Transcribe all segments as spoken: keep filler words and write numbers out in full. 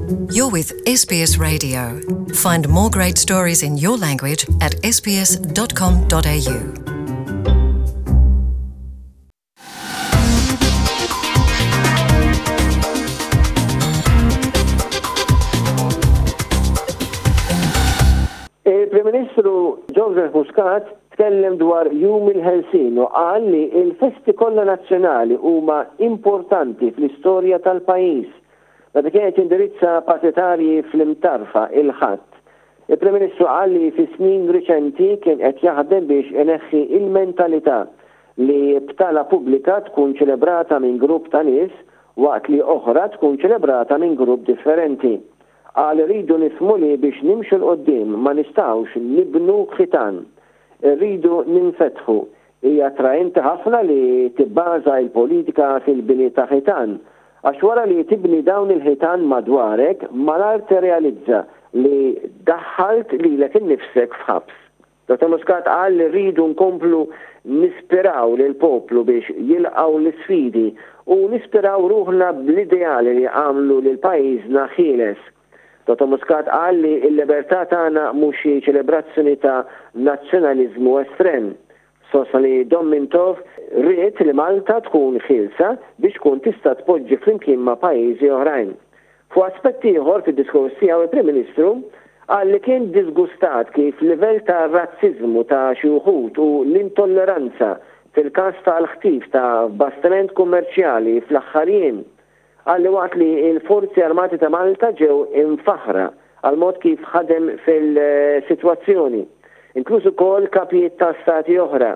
You're with S B S Radio. Find more great stories in your language at S B S dot com dot A U. Il-Prim Ministru Joseph Muscat tkellem dwar Jum il-Ħelsien u qal li il-festi kollha nazzjonali huma importanti fl-istorja tal-pajjiż. Meta kienet indirizza partitarji fl-Imtarfa il-Ħadd, il-Prim Ministru qal li fi snin riċenti kien qed jaħdem biex ineħħi il-mentalità li btala pubblika tkun ċelebrata minn grupp ta' nies waqt li oħra tkun ċelebrata minn grupp differenti. Qal rridu nifhmu li biex nimxu 'l quddiem ma nistgħux nibnu ħitan. Irridu ninfetħu. Hija attraenti ħafna li tibbaża il-politika fil-bini ta' ħitan. Għax wara li tibni dawn il-ħitan madwarek, malajr tirrealizza li daħħalt lilek innifsek f'ħabs. Dottor Muscat qal li rridu nkomplu nispiraw lil poplu biex jilqaw l-sfidi u nispiraw ruħna bl-ideali li għamlu lil pajjiżna ħieles. Dottor Muscat qal li l-libertà tagħna mhux xi ċelebrazzjoni ta' nazzjonaliżmu estrem. Sostna li Dom Mintoff ried li Malta tkun ħielsa biex tkun tista' tpoġġi flimkien ma' pajjiżi oħrajn. Fuq aspetti ieħor fid-diskors tiegħu, il-Prim Ministru qal li kien disgustat kif livell ta' razzizmu ta' xi wħud u l-intolleranza fil-każ tal-ħtif ta' bastiment kummerċjali fl-aħħar jiem. Qal li waqt li il-Forzi Armati ta' Malta ġew imfaħra għal mod kif ħadem fil-sitwazzjoni, inkluż ukoll kapijiet ta' stati oħra,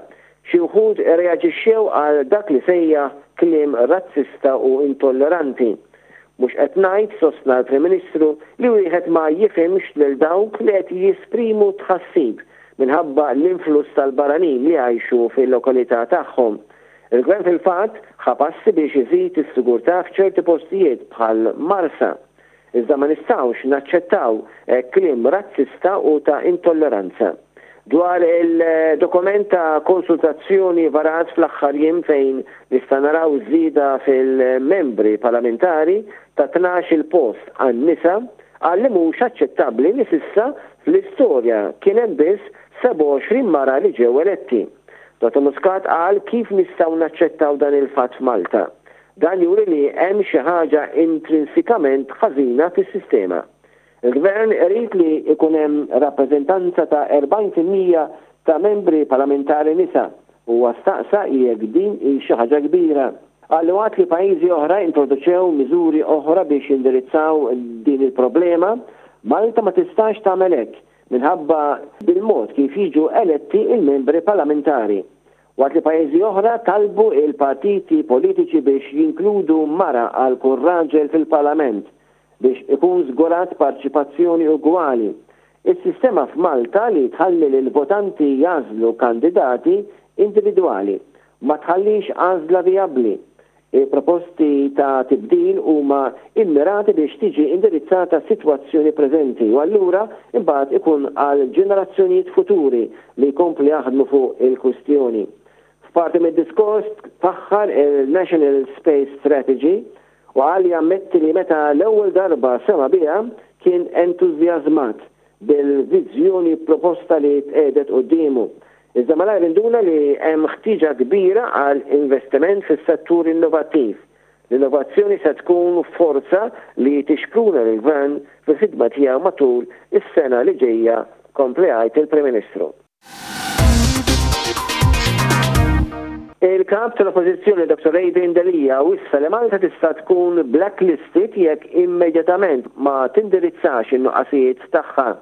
xi wħud reaġixxew għal dak li sejjaħ kliem razzista u intolleranti. Mhux qed ngħid, sostna l-Prim Ministru, li wieħed ma jifhimx lil dawk li qed jesprimu tħassib minħabba l-influss tal-barranin li jgħixu fil-lokalità tagħhom. Il-gvern fil-fatt ħa passi biex iżid is-sigurtà f'ċerti postijiet bħal Marsa. Iżda ma nistgħux naċċettaw eh, kliem razzista u ta' intolleranza. Dwar il-dokument ta' konsultazzjoni varat fl-aħħar jiem fejn nista' naraw żieda fil-membri parlamentari ta' tnax il post għan-nisa, qal li mhux aċċettabbli li s'issa fl-istorja kien hemm biss sebgħa u għoxrin mara li ġew eletti. Dottor Muscat qal kif nistgħu naċċettaw dan il-fatt f'Malta. Dan juri li hemm xi ħaġa intrinsikament ħażina fis-sistema. Il-gvern irid li ikun hemm rappreżentanza ta' erbgħin fil-mija ta' membri parlamentari nisa u staqsa jekk din hi xi ħaġa kbira. Qal waqt li pajjiżi oħra introduċew miżuri oħra biex jindirizzaw din il-problema, Malta ma tistax tagħmel hekk minħabba bil-mod kif jiġu eletti il-membri parlamentari. Waqt li pajjiżi oħra talbu il-partiti politiċi biex jinkludu mara għal kull raġel fil-parlament biex ikun żgurat parteċipazzjoni ugwali, is-sistema f'Malta li tħalli lil votanti jagħżlu kandidati individwali ma tħallix għażla vijabbli. Il-proposti ta' tibdil huma immirati biex tiġi indirizzata sitwazzjoni preżenti u allura imbagħad ikun għal ġenerazzjonijiet futuri li jkompli jaħdmu fuq il-kwistjoni. F'parti mid-diskors faħħar il-National Space Strategy u qal jammetti li meta l-ewwel darba sema biha kien entużjażmat bil-viżjoni proposta li tqiegħdet quddiemu. Iżda malajr induna li hemm ħtiġa kbira għal investiment fis-settur innovattiv. L-innovazzjoni se tkun forza li tixpruna l-gvern fil-ħidma tiegħu matul is-sena li ġejja, kompla jgħid il-Prim Ministru. Il-kap tal-Oppożizzjoni Doctor Adrian Delia wissa li Malta tista' tkun blacklisted jekk immedjatament ma tindirizzax in-nuqqasijiet tagħha.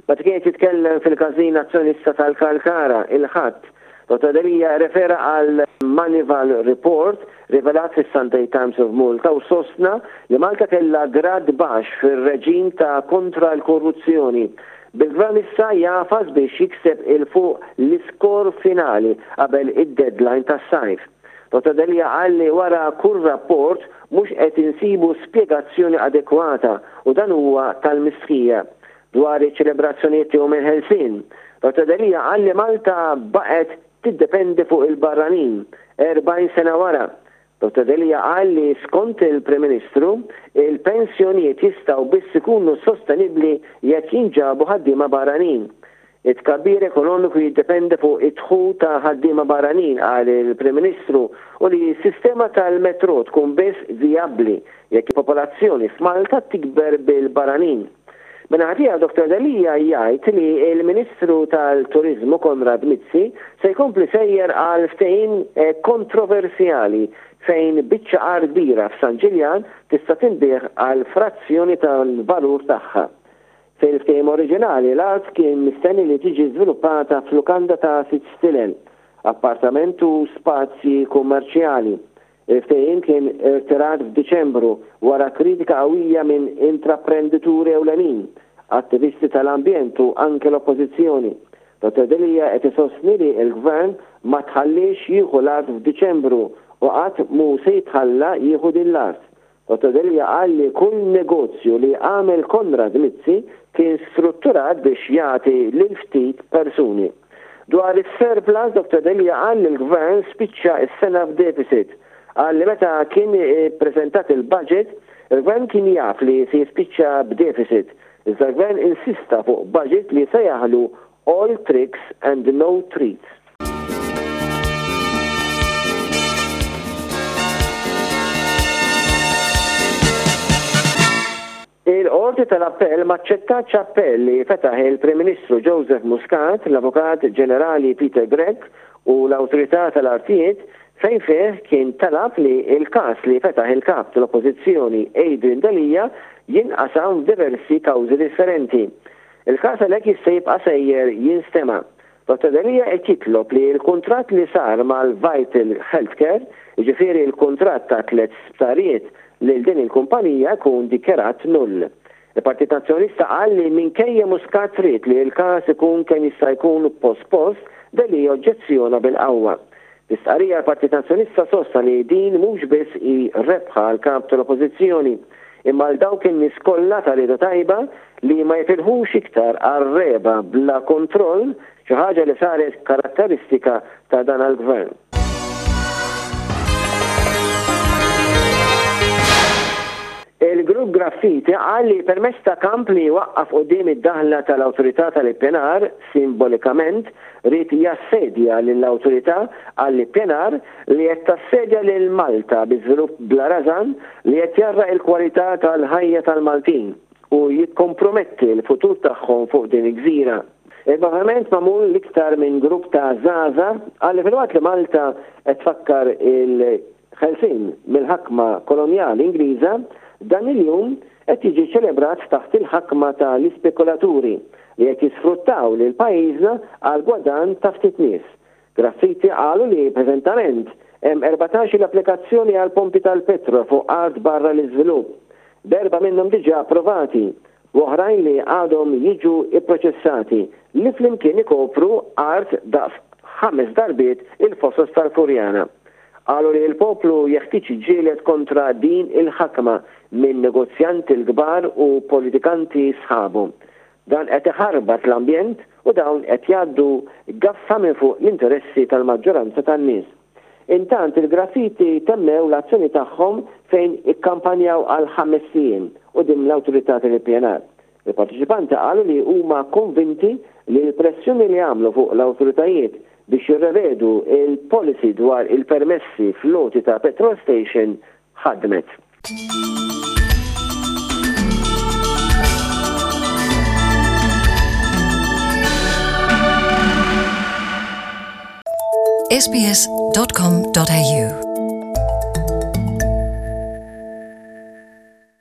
Meta kien jitkellem fil-Każin Nazzjonalista tal-Kalkara il-Ħadd, Dottor Delia refera għal Moneyval Report rivelat fis-Sunday Times of Malta u sostna li Malta kella grad baxx fir-reġim ta' kontra l-korruzzjoni. Bil-gvern issa jagħfas biex jikseb 'il fuq l-iskor finali qabel id-deadline tas-sajf. Dottor Delia qal li wara kull rapport mhux qed insibu spjegazzjoni adekwata u dan huwa tal-mistħija. Dwar iċ-ċelebrazzjonijiet Jum il-Ħelsien, Dottor Delia qal li Malta baqgħet tiddependi fuq il-barranin erbgħin sena wara. Dottor Delia qal li skont il-Prim Ministru, il-pensjonijiet jistgħu biss ikunu sostenibbli jekk jinġabu ħaddiema barranin. It-tkabbir ekonomiku jiddependi fuq id-dħul ta' ħaddiema barranin, qal il-Prim Ministru, u li s-sistema tal-metro tkun biss vijabbli jekk il-popolazzjoni f'Malta tikber bil-barranin. Min-naħa tiegħu Dottor Delia jgħid li l-Ministru tal-Turiżmu Konrad Mizzi se jkompli sejjer għal ftehim kontroversjali fejn biċċa art kbira f'San Ġiljan tista' tinbiegħ għal frazzjoni tal-valur tagħha. Fil-ftehim oriġinali l-art kien mistenni li tiġi żviluppata f'lukanda ta' sitt stilel, appartament u spazji kummerċjali. Il-ftehim kien irtirat f'Diċembru wara kritika qawwija minn intraprendituri ewlenin, attivisti tal-ambjent u anke l-oppożizzjoni. Dottor Delia qed isostni li l-Gvern ma tħallix jieħu l-art f'Diċembru u qatt mhu se jitħalla jieħu din l-art. Dottor Delia qal li kull negozju li għamel Konrad Mizzi kien strutturat biex jagħti lil ftit persuni. Dwar is-surplus, Dottor Delia qal li l-Gvern spiċċa s-sena f'deficit. Qal li meta kien ippreżentat il-budget, il-Gvern kien jaf li se jispiċċa b'deficit. Iżda l-Gvern insista fuq budget li se jaħlu all tricks and no treats. Il-Qorti tal-Appell ma aċċettatx appell li fetaħ il-Prim Ministru Joseph Muscat, l-Avukat Ġenerali Peter Grech u l-Awtorità tal-Artijiet fejn fih kien talab li il-każ li fetaħ il-kap tal-Oppożizzjoni Adrian Delia jinqasam f'diversi kawżi differenti. Il-każ għalhekk jista' jibqa' sejjer jinstema'. Dottor Delia qed jitlob li l-kuntratt li sar mal-Vital Healthcare, jiġifieri l-kuntratt ta' tliet sptarijiet lil din il-kumpanija, jkun dikjarat null. Il-Partit Nazzjonalista qal li minkejja Muscat trid li l-każ ikun kemm jista' jkun pospost, Delia oġġezzjona bil-qawwa. L-istqarrija l-Partit Nazzjonalista sostna li din mhux biss hi rebħa għal kap tal-Oppożizzjoni, imma għal dawk in-nies kollha ta' rieda tajba li ma jifilħux iktar għar-reba bla kontroll, xi ħaġa li saret karatteristika ta' dan għall-gvern. Il-grupp Graffiti qal li permezz ta' kamp li waqqaf quddiem id-daħla tal-Awtorità tal-Ippjanar simbolikament ried jassedja lill-Awtorità għall-Ippjanar li qed tassedja lil Malta bi żvilupp bla rażan li qed jarraq il-kwalità tal-ħajja tal-Maltin u jikkomprometti l-futur tagħhom fuq din il-gżira. Il-moviment magħmul l-iktar minn grupp ta' żgħażagħ qal li filwaqt li Malta qed tfakkar il-ħelsien mill-ħakma kolonjali Ingliża, dan il-jum qed jiġi ċelebrat taħt il-ħakma tal-ispekulaturi li qed jisfruttaw lil pajjiżna għal gwadann ta' ftit nies. Graffiti qalu li preżentament hemm erbatax-il applikazzjoni għal pompi tal-petrol fuq art barra l-iżvilupp, b'erba' minnhom diġà approvati u oħrajn li għadhom jiġu ipproċessati li flimkien ikopru art daqs ħames darbiet il-fosos tal-Furjana. Qalu li l-poplu jeħtieġ jiġġieled kontra din il-ħakma minn negozjanti l-kbar u politikanti sħabu. Dan qed iħarbat l-ambjent u dawn qed jgħaddu gaffa minn fuq l-interessi tal-maġġoranza tan-nies. Intant il-graffiti temmew l-azzjoni tagħhom fejn ikkampanjaw għal ħames ijiem quddiem l-awtorità tal-Ippjanar. Il-partiċipanti qalu li huma konvinti li l-pressjoni li għamlu fuq l-awtoritajiet biex jirrevedu il-policy dwar il-permessi fl-loti ta' petrol station ħadmet. S B S dot com dot A U